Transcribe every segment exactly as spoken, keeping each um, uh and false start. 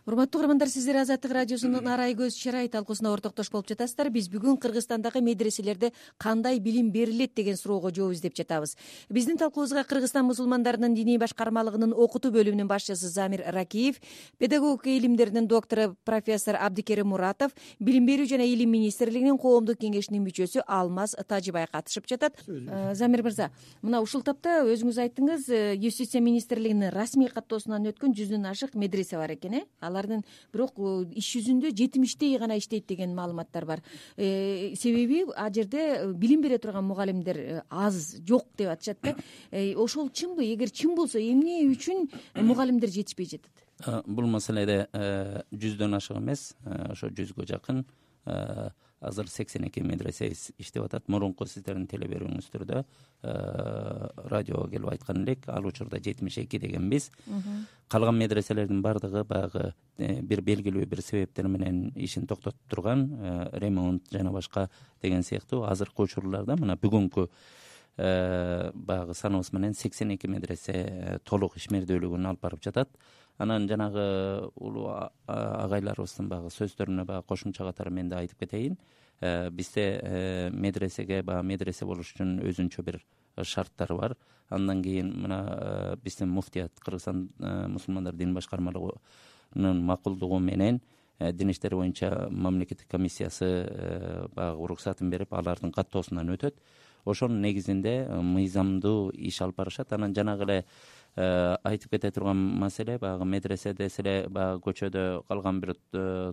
Урматтуу көрөрмандар, сиздер Азаттык радиосунун Арай көз чырай талкуусуна ортоктош болуп жатасыздар. Биз бүгүн Кыргызстандагы медреселерде кандай билим берилет деген суроого жооп издеп жатабыз. Биздин талкуубузга Кыргызстан мусулмандарынын диний башкармалыгынын окутуу бөлүмүнүн башчысы Замир Ракиев, педагогика илимдеринин доктору профессор Абдикерим Муратов, Билим берүү жана Илим министрлигинин коомдук кеңешинин мүчөсү Алмаз Тажибай катышып жатат. Замир мырза, мына ушул тапта өзүңүз айттыңыз, Юстиция министрлигинин расмий каттоосунан өткөн жүздөн ашык медресе бар экен, э? Алардын бирок иш жүзүндө жетимиштей гана иштейт деген маалыматтар бар. Себеби а жерде билим бере турган мугалимдер аз, жок деп атышат да. Ошол чынбы? Эгер чын болсо, эмне үчүн мугалимдер жетишпей жатат? Бул маселеде жүздөн ашык эмес, ошо жүзгө жакын азыр сексен эки медресе иштеп атат. Мурунку сиздердин теле берүүңүздөрдө радиого келип айткан элек, ал учурда жетимиш эки дегенбиз. Калган медреселердин баардыгы баягы бир белгилүү бир себептер менен ишин токтотуп турган, ремонт жана башка деген сыяктуу. Азыркы учурларда мына бүгүнкү баягы саныбыз менен сексен эки медресе толук ишмердүүлүгүн алып барып жатат. Анан жанагы улуу агайларыбыздын баягы сөздөрүнө баягы кошумча катары мен да айтып кетейин. Бизде медресеге баягы медресе болуш үчүн өзүнчө бир шарттары бар. Андан кийин мына биздин муфтият, Кыргызстан мусулмандар дин башкармалыгынын макулдугу менен дин иштери боюнча мамлекеттик комиссиясы баягы уруксатын берип, алардын каттоосунан өтөт. Ошонун негизинде мыйзамдуу иш алып барышат. Анан жанагы эле айтып кете турган маселе, баягы медресе десе эле баягы көчөдө калган бир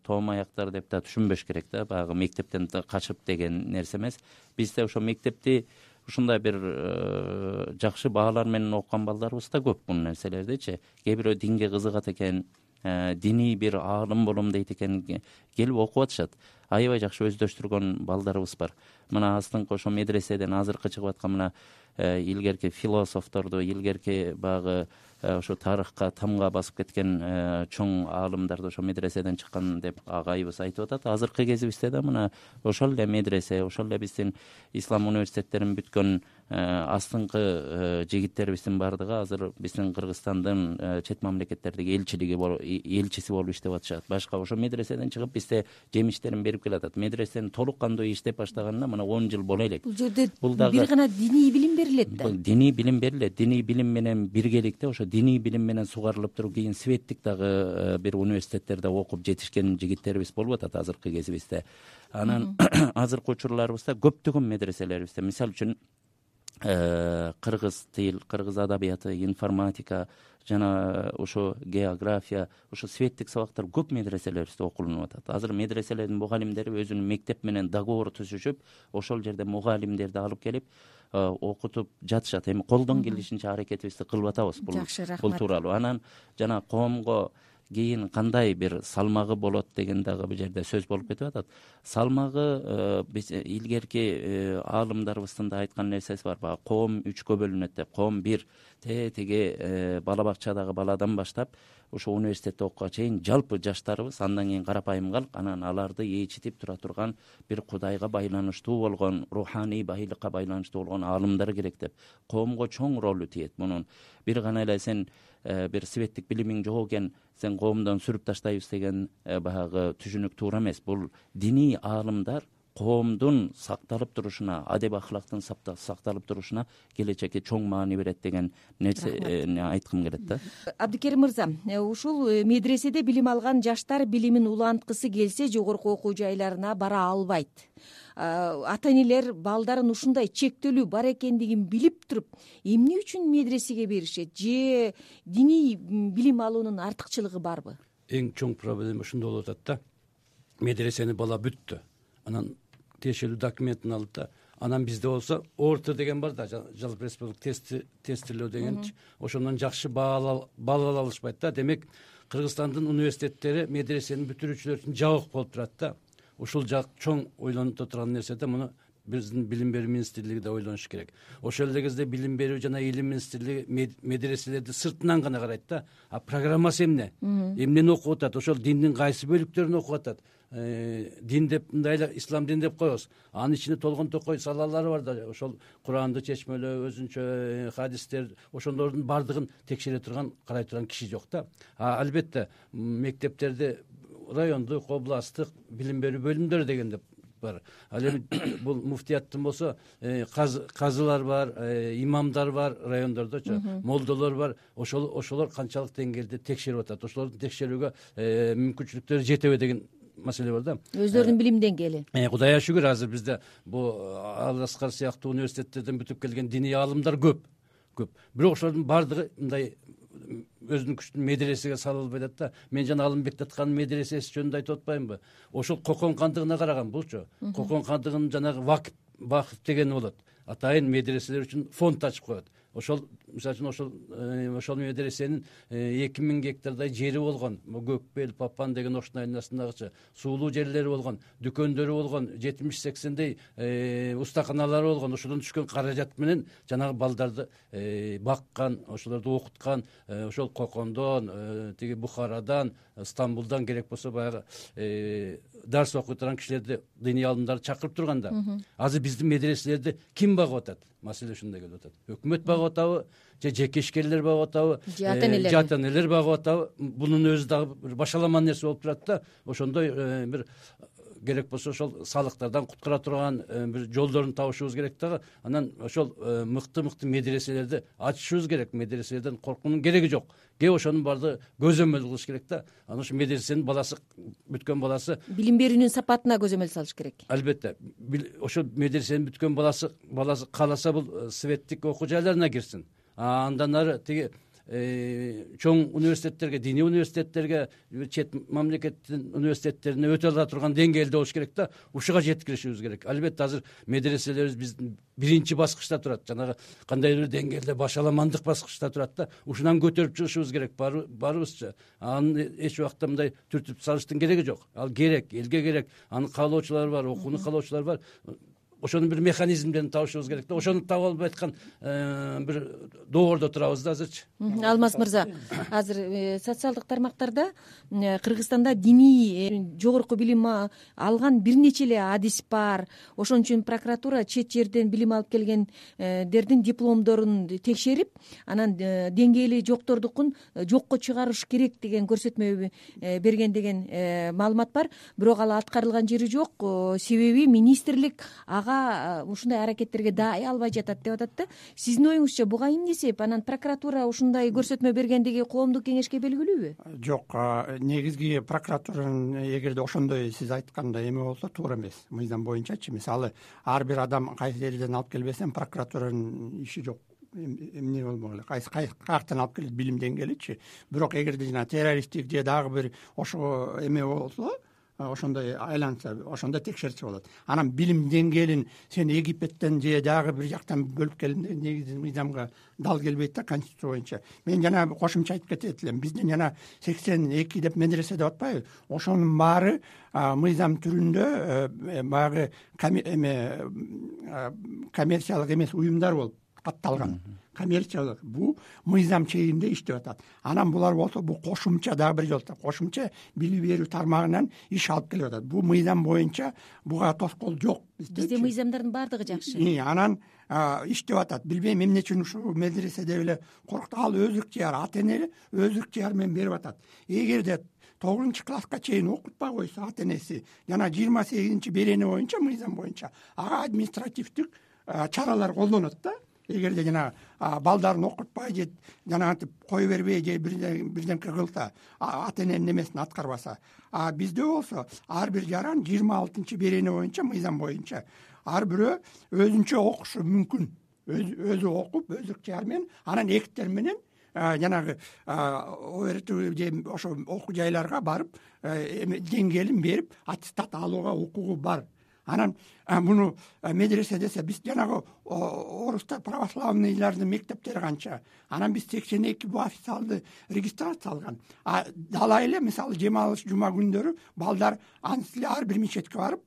тоом аяктар деп да түшүнбөш керек да, баягы мектептен качып деген нерсе эмес. Бизде ошо мектепти ушундай бир жакшы баалар менен окуган балдарыбыз да көп. Бул нерселердичи кээ бирөө динге кызыгат экен, диний бир аалым болом дейт экен, келип окуп атышат. Аябай жакшы өздөштүргөн балдарыбыз бар. Мына астыңкы ошо медреседен азыркы чыгып аткан мына илгерки философторду, илгерки баягы ошо тарыхка тамга басып кеткен чоң аалымдарды ошо медреседен чыккан деп агайыбыз айтып атат. Азыркы кезибизде да мына ошол эле медресе, ошол эле биздин ислам университеттерин бүткөн астыңкы жигиттерибиздин баардыгы азыр биздин Кыргызстандын чет мамлекеттердеги элчилиги элчиси болуп иштеп атышат. Башка ошо медреседен чыгып бизде жемиштерин берип келатат. Медресенин толук кандуу иштеп баштаганына мына он жыл боло элек. Бул жерде бир гана диний билим берилет да. Диний билим берилет. Диний билим менен биргеликте ошо диний билим менен сугарылып туруп кийин светтик дагы бир университеттерде окуп жетишкен жигиттерибиз болуп атат азыркы кезибизде. Анан азыркы учурларыбызда көптөгөн медреселерибизде, мисалы үчүн кыргыз тил, кыргыз адабияты, информатика жана ошо география, ошо светтик сабактар көп медреселерибизде окулунуп атат. Азыр медреселердин мугалимдери өзүнүн мектеп менен договор түзүшүп, ошол жерде мугалимдерди алып келип окутуп жатышат. Эми колдон келишинче аракетибизди кылып атабыз бул бул тууралуу. Анан жана коомго кийин кандай бир салмагы болот деген дагы бул жерде сөз болуп кетип атат. Салмагы биз илгерки аалымдарыбыздын да айткан нерсеси бар. Баягы коом үчкө бөлүнөт деп. Коом бир теги бала бакчадагы баладан баштап ошо университетте окууга чейин жалпы жаштарыбыз, андан кийин карапайым калк, анан аларды ээчитип тура турган бир Кудайга байланыштуу болгон, руханий байлыкка байланыштуу болгон аалымдар керек деп. Коомго чоң ролу тиет мунун. Бир гана эле сен бир светтик билимиң жок экен, сен коомдон сүрүп таштайбыз деген баягы түшүнүк туура эмес. Бул диний аалымдар коомдун сакталып турушуна, адеп ахлактын сакталып турушуна келечекте чоң маани берет деген нерсени айткым келет да. Абдикерим мырза, ушул медреседе билим алган жаштар билимин уланткысы келсе жогорку окуу жайларына бара албайт. Ата энелер балдарын ушундай чектелүү бар экендигин билип туруп, эмне үчүн медресеге беришет? Же диний билим алуунун артыкчылыгы барбы? Эң чоң проблема ушунда болуп атат да. Медресени бала бүттү. Анан тиешелүү документин алды да, анан бизде болсо орто деген бар да, жалпы республика тести тестилөө дегенчи, ошондон жакшы баала ала алышпайт да. Демек Кыргызстандын университеттери медресени бүтүрүүчүлөр үчүн жабык болуп турат да. Ушул жак чоң ойлонуп турган нерсе да. Муну биздин билим берүү министрлиги да ойлонуш керек. Ошол эле кезде билим берүү жана илим министрлиги медреселерди сыртынан гана карайт да. А программасы эмне? Эмнени окуп атат? Ошол диндин кайсы бөлүктөрүн окуп атат? Дин деп мындай эле ислам дин деп коебуз. Анын ичинде толгон токой салалары бар да. Ошол Куранды чечмелөө, өзүнчө хадистер, ошолордун баардыгын текшере турган, карай турган киши жок да. А албетте мектептерде райондук, областтык билим берүү бөлүмдөрү деген деп бар. Ал эми бул муфтияттын болсо казылар бар, имамдар бар райондордочу, молдолор бар. Ошол ошолор канчалык деңгээлде текшерип атат? Ошолорду текшерүүгө мүмкүнчүлүктөрү жетеби деген маселе бар да. Өздөрүнүн билим деңгээли. Кудайга шүгүр, азыр бизде бул Ал Аскар сыяктуу университеттерден бүтүп келген диний аалымдар көп. Көп. Бирок ошолордун баардыгы мындай өзүнүн күчтүн медресеге сала албай атат да. Мен жана Алымбек Таткандын медресеси жөнүндө айтып атпаймынбы? Ошол Кокон кандыгына караган булчу. Кокон кандыгынын жанагы вакыф вакыф деген болот. Атайын медреселер үчүн фонд ачып коет. Ошол мисалы үчүн ошол ошол медресенин эки миң гектардай жери болгон. Көкбел, Папан деген оштун айнасындагычы суулуу жерлери болгон, дүкөндөрү болгон, жетимиш сексендей устаканалары болгон. Ошодон түшкөн каражат менен жанагы балдарды баккан, ошолорду окуткан, ошол Кокондон, тиги Бухарадан, Стамбулдан керек болсо баягы дарс окуй турган кишилерди, диний аалымдарды чакырып турган да. Азыр биздин медреселерди ким багып атат? Маселе ушундай келип атат. Өкмөт багып атабы, же жеке ишкерлер багып атабы, же ата энелер багып атабы? Бунун өзү дагы башаламан нерсе болуп турат да. Ошондой бир керек болсо ошол салыктардан куткара турган бир жолдорун табышыбыз керек дагы. Анан ошол мыкты-мыкты медреселерди ачышыбыз керек. Медреселерден коркуунун кереги жок. Кээ ошонун баардыгы көзөмөл кылыш керек да. Анан ошо медресенин баласы бүткөн баласы билим берүүнүн сапатына көзөмөл салыш керек. Албетте. Ошо медресенин бүткөн баласы баласы кааласа бул светтик окуу жайларына кирсин. Андан ары тиги чоң университеттерге, диний университеттерге, чет мамлекеттин университеттерине өтө ала турган деңгээлде болуш керек да. Ушуга жеткиришибиз керек. Албетте азыр медреселерибиз биздин биринчи баскычта турат. Жанагы кандайдыр бир деңгээлде башаламандык баскычта турат да. Ушунан көтөрүп чыгышыбыз керек барыбызчы. Аны эч убакта мындай түртүп салыштын кереги жок. Ал керек, элге керек. Аны каалоочулар бар, окууну каалоочулар бар. Ошонун бир механизмдерин табышыбыз керек да. Ошону таба албай аткан бир доордо турабыз да азырчы. Алмаз мырза, азыр социалдык тармактарда Кыргызстанда диний жогорку билим алган бир нече эле адис бар. Ошон үчүн прокуратура чет жерден билим алып келгендердин дипломдорун текшерип, анан деңгээли жоктордукун жокко чыгарыш керек деген көрсөтмө берген деген маалымат бар. Бирок ал аткарылган жери жок. Себеби министрлик ушундай аракеттерге даай албай жатат деп атат да. Сиздин оюңузча буга эмне себеп? Анан прокуратура ушундай көрсөтмө бергендиги коомдук кеңешке белгилүүбү? Жок, негизги прокуратуранын эгерде ошондой сиз айткандай эме болсо туура эмес. Мыйзам боюнчачы, мисалы ар бир адам кайсы жерден алып келбесем прокуратуранын иши жок. Эмне болмогуле, кайсы каяктан алып келет билим деңгээличи. Бирок эгерде жана террористтик же дагы бир ошо эме болсо, ошондой айланса, ошондо текшерсе болот. Анан билим деңгээлин сен Египеттен же дагы бир жактан бөлүп келгенде негизи мыйзамга дал келбейт да, конституция боюнча. Мен жана кошумча айтып кетет элем. Биздин жана сексен эки деп медресе деп атпайбы? Ошонун баары мыйзам түрүндө баягы эме коммерциялык эмес уюмдар болуп катталган. Коммерциялык бул мыйзам чегинде иштеп атат. Анан булар болсо бул кошумча дагы бир жолу кошумча билим берүү тармагынан иш алып келип атат. Бул мыйзам боюнча буга тоскоол жок. Бизде мыйзамдардын баардыгы жакшы. Анан иштеп атат. Билбейм эмне үчүн ушул медреседе эле коркуту. Ал өз ыктыяр, ата эне өз ыктыяры менен берип атат. Эгерде тогузунчу класска чейин окутпай койсо ата энеси жана жыйырма сегизинчи берене боюнча мыйзам боюнча ага административдик чаралар колдонот да. Эгерде жана балдарын окутпай же жанагынтип кое бербей же бирдемке кылса, ата эненин эмесин аткарбаса. А бизде болсо ар бир жаран жыйырма алтынчы берене боюнча мыйзам боюнча ар бирөө өзүнчө окушу мүмкүн. Өзү окуп, өз ыктыяры менен, анан эктер менен жанагы ОРТ же ошо окуу жайларга барып деңгээлин берип аттестат алууга укугу бар. Анан муну медресе десе биз жанагы орустар православныйлардын мектептери канча. Анан биз сексен эки бул официалдуу регистрация алган. А далай эле мисалы жем алыш жума күндөрү балдар анысы эле ар бир мечетке барып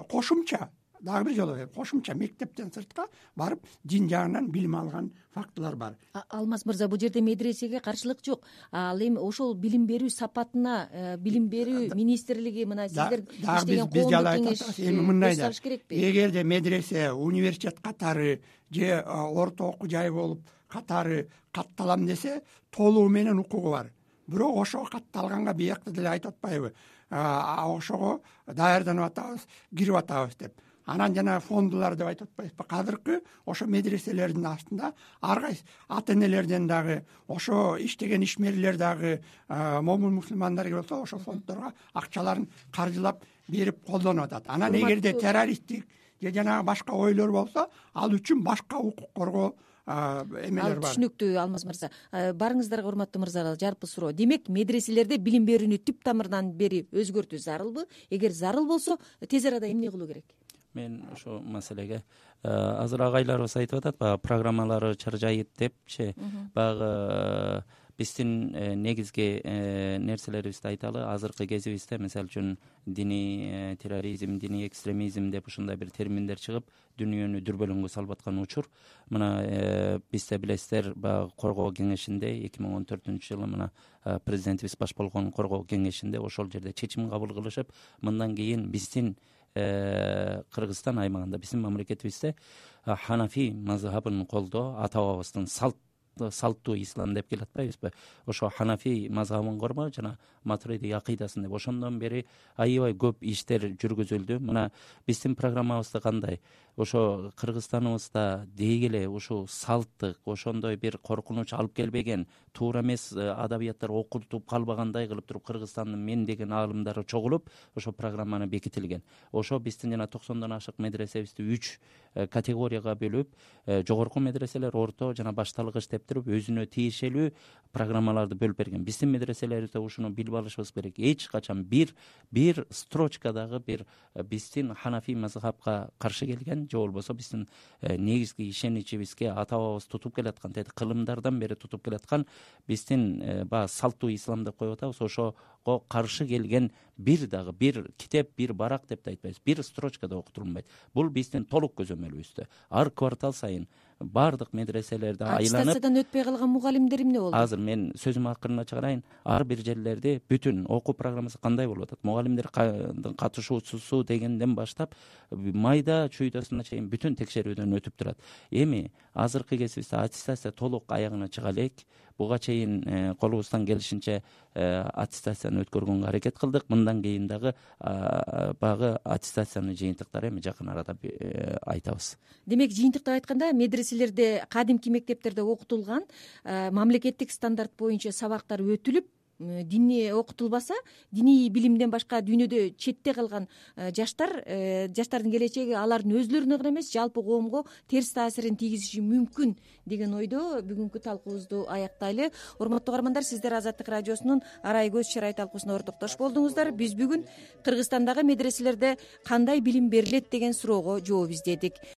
кошумча дагы бир жолу кошумча мектептен сыртка барып дин жагынан билим алган фактылар бар. Алмаз мырза, бул жерде медресеге каршылык жок. Ал эми ошол билим берүү сапатына билим берүү министрлиги мына сиздер иштеген коомдук кеңеш эми мындай да, салыш керекпи? эгерде медресе университет катары же орто окуу жай болуп катары катталам десе толугу менен укугу бар. Бирок ошого катталганга биякта деле айтып атпайбы, ошого даярданып атабыз, кирип атабыз деп. Анан жана фондулар деп айтып атпайбызбы? Азыркы ошо медреселердин астында ар кайсы ата энелерден дагы, ошо иштеген ишмерлер дагы, момун мусулмандар болсо ошо фонддорго акчаларын каржылап берип колдонуп атат. Анан эгерде террористтик же жанагы башка ойлор болсо, ал үчүн башка укук коргоо эмелер бар. Түшүнүктүү Алмаз мырза. Барыңыздарга урматтуу мырзалар, жалпы суроо. Демек, медреселерде билим берүүнү түп тамырынан бери өзгөртүү зарылбы? Эгер зарыл болсо, тез арада эмне кылуу керек? Мен ошол маселеге азыр агайларыбыз айтып атат, баягы программалары чаржайыт депчи, баягы биздин негизги нерселерибизди айталы. Азыркы кезибизде, мисалы үчүн, диний терроризм, диний экстремизм деп ушундай бир терминдер чыгып, дүйнөнү дүрбөлөңгө салып аткан учур. Мына бизде билесиздер, баягы коргоо кеңешинде эки миң он төртүнчү жылы мына президентибиз баш болгон коргоо кеңешинде ошол жерде чечим кабыл кылышып, мындан кийин биздин Кыргызстан аймагында, биздин мамлекетибизде ханафи мазхабын колдоо, ата бабабыздын салт салттуу ислам деп келип атпайбызбы? Ошо ханафи мазхабын коргоо жана матуриди акыйдасын деп ошондон бери аябай көп иштер жүргүзүлдү. Мына биздин программабызда кандай? Ошо Кыргызстаныбызда дейгиле ушул салттык, ошондой бир коркунуч алып келбеген, туура эмес адабияттар окутуп калбагандай кылып туруп Кыргызстандын мен деген аалымдары чогулуп, ошо программаны бекитилген. Ошо биздин жана токсондон ашык медресебизди үч категорияга бөлүп, жогорку медреселер, орто жана башталгыч деп туруп өзүнө тиешелүү программаларды бөлүп берген. Биздин медреселерибизде ушуну билип алышыбыз керек. Эч качан бир бир строчкадагы бир биздин ханафи мазхабка каршы келген же болбосо биздин негизги ишеничибизге ата бабабыз тутуп келаткан, деди кылымдардан бери тутуп келаткан биздин баягы салттуу ислам деп коюп атабыз, ошого каршы келген бир дагы бир китеп, бир барак деп да айтпайбыз, бир строчкада окутулбайт. Бул биздин толук көзөмөлүбүздө. Ар квартал сайын баардык медреселерди айланып, аттестациядан өтпөй калган мугалимдер эмне болду? Азыр мен сөзүм акырына чыгарайын. Ар бир жерлерде бүтүн окуу программасы кандай болуп атат? Мугалимдер катышуусу дегенден баштап майда чуйдасына чейин бүтүн текшерүүдөн өтүп турат. Эми азыркы кезибизде аттестация толук аягына чыга элек. Буга чейин колубуздан келишинче аттестацияны өткөргөнгө аракет кылдык. Мындан кийин дагы багы аттестациянын жыйынтыктары эми жакын арада айтабыз. Демек, жыйынтыкта айтканда, медреселерде, кадимки мектептерде окутулган мамлекеттик стандарт боюнча сабактар өтүлүп, дини окутулбаса, диний билимден башка дүйнөдө четте калган жаштар, жаштардын келечеги алардын өзүлөрүнө гана эмес, жалпы коомго терс таасирин тийгизиши мүмкүн деген ойдо бүгүнкү талкуубузду аяктайлы. Урматтуу каармандар, сиздер Азаттык радиосунун Арай көз чырай талкуусуна ортоктош болдуңуздар. Биз бүгүн Кыргызстандагы медреселерде кандай билим берилет деген суроого жооп издедик.